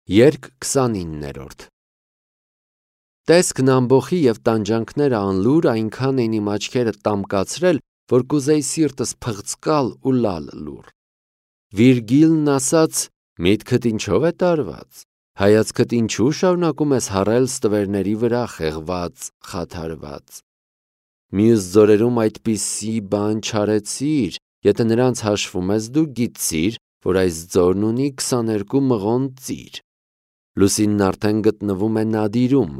Երգ 29-րդ Տեսքն ամբոխի և տանջանքները անլուր այնքան են իմ աչքերը տամկացրել, որ կուզեի սիրտս փղծկալ ու լալ լուռ։ Վիրգիլն ասաց. «Միտքդ ինչով է տարված, հայացքդ ինչու շարունակում ես հառել ստվերների վրա խեղված, խաթարված։ Մյուս ձորերում այդպիսի բան չարեցիր, եթե նրանց հաշվում ես դու գիտցիր, որ այս ձորն ունի 22 մղոն ծիր։ Լուսինն արդեն գտնվում է նադիրում,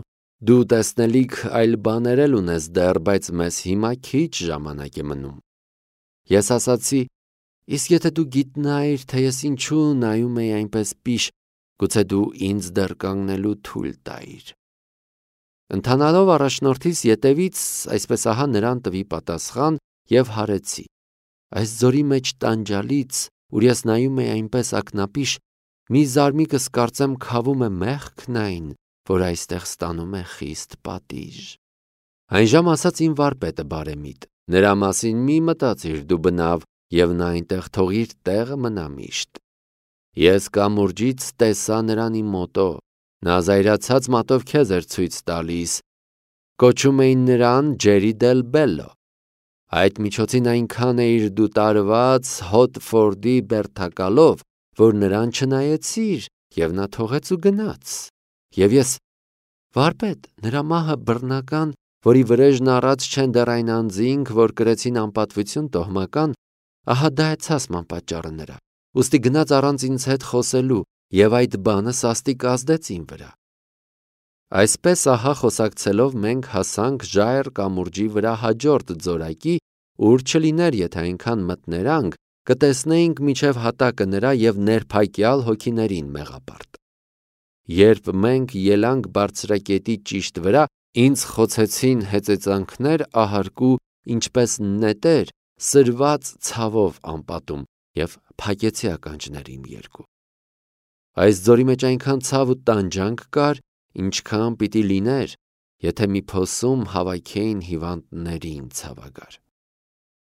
դու տեսնելիք այլ բաներ էլ ունես դեռ, բայց մեզ հիմա քիչ ժամանակ է մնում։ Ես ասացի. իսկ եթե դու գիտնայիր, թե ես ինչու նայում էի այնպես պիշ, գուցե դու ինձ դեռ կանգնելու թույլ տայիր։ Ընթանալով առաջնորդիս ետևից, այսպես ահա նրան տվի պատասխան և հարեցի։ Այս ձորի մեջ տանջալից, ուր ես նայում էի այնպես ակնապիշ, մի զարմիկս կարծեմ քավում է մեղքն այն, որ այստեղ ստանում է խիստ պատիժ։ Այնժամ ասաց իմ վարպետը բարեմիտ. նրա մասին մի մտածիր դու բնավ, և նա այնտեղ թող իր տեղը մնա միշտ։ Ես կամուրջից տեսա նրան իմ մոտո, նա զայրացած մատով քեզ էր ցույց տալիս, կոչում էին նրան Ջերի դել Բելլո։ Այդ միջոցին այնքան էիր դու տարված Հոթֆորդի բերդակալով, որ նրան չնայեցիր, և նա թողեց ու գնաց։ Եվ ես. վարպետ, նրա մահը բռնական, որի վրեժն առած չեն դեռ այն անձինք, որ կրեցին անպատվություն տոհմական, ահա դա է ցասման պատճառը նրա, ուստի գնաց առանց ինձ հետ խոսելու, և այդ բանը սաստիկ ազդեց իմ վրա։ Այսպես ահա խոսակցելով մենք հասանք Ժայռ կամուրջի վրա հաջորդ ձորակի, ուր չլիներ, եթե այնքան մտներանք, կտեսնեինք մինչև հատակը նրա և ներփակյալ հոգիներին մեղապարտ։ Երբ մենք ելանք բարձրակետի ճիշտ վրա, ինձ խոցեցին հեծեծանքներ ահարկու, ինչպես նետեր, սրված ցավով անպատում, և փակեցի ականջներ իմ երկու։ Այս ձորի մեջ այնքան ցավ ու տանջանք կար, ինչքան պիտի լիներ, եթե մի փոսում հավաքեին հիվանդներին ցավագար։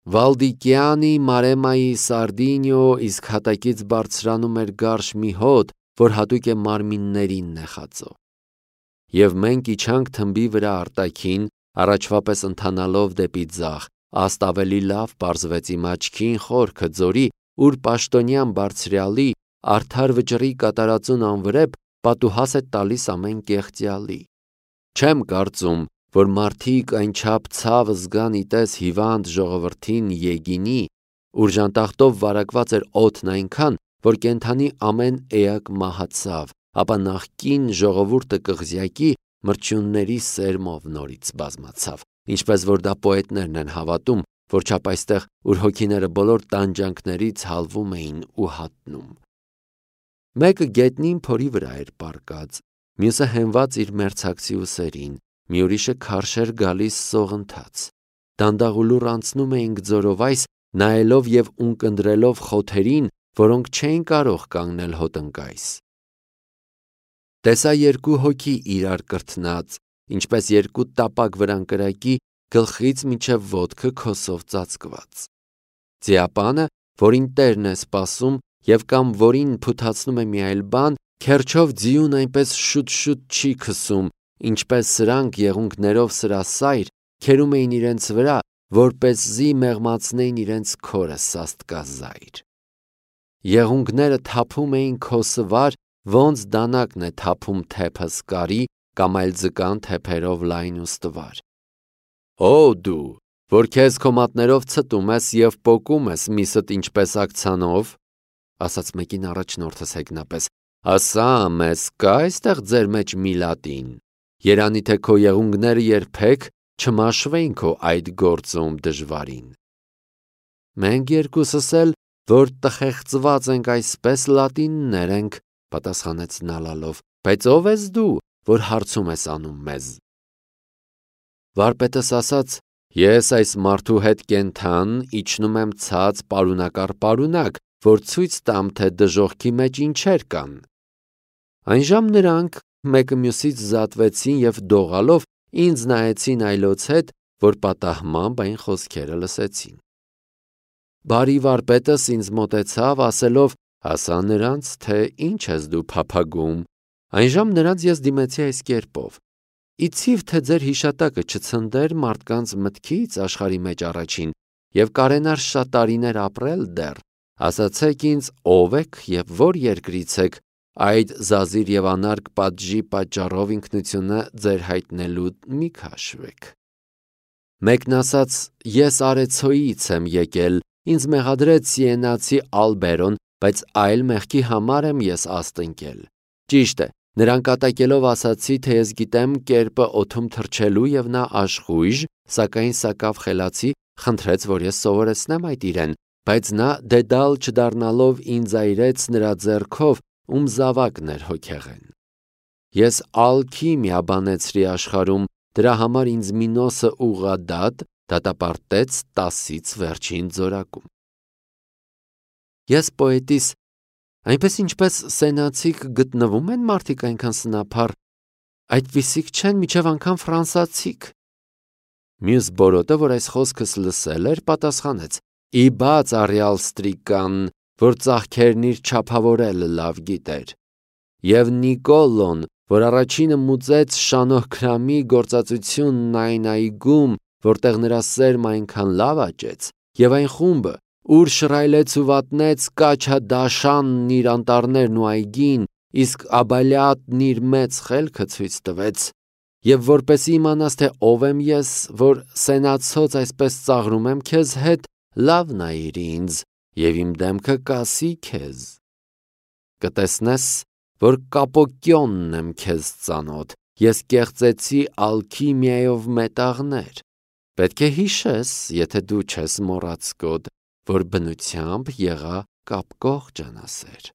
Վալդիկյանի Մարեմայի Սարդինյո իսկ հատակից բարձրանում էր գարշ մի հոտ, որ հատուկ է մարմիններին նեխածո։ Եվ մենք իջանք թմբի վրա արտաքին, առաջվա պես ընթանալով դեպի ձախ, աստ ավելի լավ պարզվեց իմ աչքին խորքը ձորի, ուր պաշտոնյան բարձրյալի, արդար վճռի կատարածուն անվրեպ պատուհաս է տալիս ամեն կեղծյալի։ Չեմ կարծում, որ մարդիկ այնչափ ցավ զգան իտես հիվանդ ժողովրդին Եգինի, ուր ժանտախտով վարակված էր օդն այնքան, որ կենդանի ամեն էակ մահացավ, ապա նախկին ժողովուրդը կղզյակի մրջյունների սերմով նորից բազմացավ, ինչպես որ դա պոետներն են հավատում, որչափ այստեղ, ուր հոգիները բոլոր տանջանքներից հալվում էին ու հատնում։ Մեկը գետնին փորի վրա էր պառկած, մյուսը հենված իր մերձակցի ուսերին, մի ուրիշը քարշ էր գալիս սողընթաց։ Դանդաղ ու լուռ անցնում էինք ձորով այս, նայելով և ունկնդրելով խոթերին, որոնք չէին կարող կանգնել հոտնկայս։ Տեսա երկու հոգի իրար կրթնած, ինչպես երկու տապակ վրանկրակի, գլխից մինչև ոտքը քոսով ծածկված։ Ձիապանը, որին տերն է սպասում և կամ որին փութացնում է մի այլ բան, քերչով ձիուն այնպես շուտ-շուտ չի քսում, ինչպես սրանք եղունգներով սրասայր քերում էին իրենց վրա, որպեսզի մեղմացնեին իրենց քորը սաստկազայր։ Եղունգները թափում էին քոսվար, ոնց դանակն է թափում թեփը սկարի կամ այլ ձկան թեփերով լայն ու ստվար։ Օ դու, որ քեզ քո մատներով ցտում ես և պոկում ես միսդ ինչպես ակցանով, ասաց մեկին առաջնորդս հեգնապես, ասա մեզ կա այստեղ ձեր մեջ Միլատին, երանի թե քո եղունգները երբեք չմաշվեին քո այդ գործում դժվարին։ Մենք երկուսս էլ, որ տխեղծված ենք այսպես լատիններ ենք, պատասխանեց նա լալով, բայց ով ես դու, որ հարցում ես անում մեզ։ Վարպետս ասաց. ես այս մարդու հետ կենթան իջնում եմ ցած պարունակառ պարունակ, որ ցույց տամ, թե դժոխքի մեջ ինչեր կան։ Այնժամ նրանք մեկը մյուսից զատվեցին և դողալով ինձ նայեցին այլոց հետ, որ պատահմամբ այն խոսքերը լսեցին։ Բարի վարպետս ինձ մոտեցավ, ասելով. ասա նրանց, թե ինչ ես դու փափագում, Այնժամ նրանց ես դիմեցի այս կերպով. Իցիվ թե ձեր հիշատակը չցնդեր մարդկանց մտքից աշխարհի մեջ առաջին եւ կարենար շատ տարիներ ապրել դեռ, ասացեք ինձ ով եք եւ որ երկրից եք, այդ զազիր եւ անարգ պատժի պատճառով ինքնությունը ձեր հայտնելու մի քաշվեք։ Մեկն ասաց. ես Արեցոյից եմ եկել, ինձ մեղադրեց Սիենացի Ալբերոն, բայց այլ մեղքի համար եմ ես աստ ընկել։ Ճիշտ է, նրան կատակելով ասացի, թե ես գիտեմ կերպը օդում թռչելու եւ նա աշխույժ, սակայն սակավ խելացի, խնդրեց, որ ես սովորեցնեմ այդ իրեն, բայց նա դեդալ չդառնալով ինձ այրեց նրա ձեռքով, ում զավակն էր հոգեղեն։ Ես ալքիմիա բանեցրի աշխարհում, դրա համար ինձ Մինոսը ուղղադատ դատապարտեց 10-ից վերջին ձորակում։ Ես պոետիս այնպես ինչպես սենացիք գտնվում են մարդիկ այնքան սնափառ, այդպիսիք չեն միջև անգամ ֆրանսացիք։ Մյուս բորոտը, որ այս խոսքս լսել էր, պատասխանեց. ի բաց առյալ ստրիկան, որ ծաղքերն իր չափավորել լավ գիտեր։ Եվ Նիկոլոն, որ առաջինը մուծեց Շանոհքրամի գործածությունն այն այգում, որտեղ նրա սերմը այնքան լավ աճեց, եւ այն խումբը, ուր շռայլեց ու վատնեց Կաչադաշանն իր անտառներն ու այգին, իսկ Աբալյատն իր մեծ խելքը ցույց տվեց, եւ որպեսի իմանաս, թե ով եմ ես, որ սենացոց այսպես ծաղրում եմ քեզ հետ, լավ նայիր ինձ, եւ իմ դեմքը կասի քեզ։ Կտեսնես, որ Կապոկյոնն եմ քեզ ծանոթ, ես կեղծեցի ալքիմիայով մետաղներ։ Պետք է հիշես, եթե դու չես մոռացկոտ, որ բնությամբ եղա կապկող ջանասեր։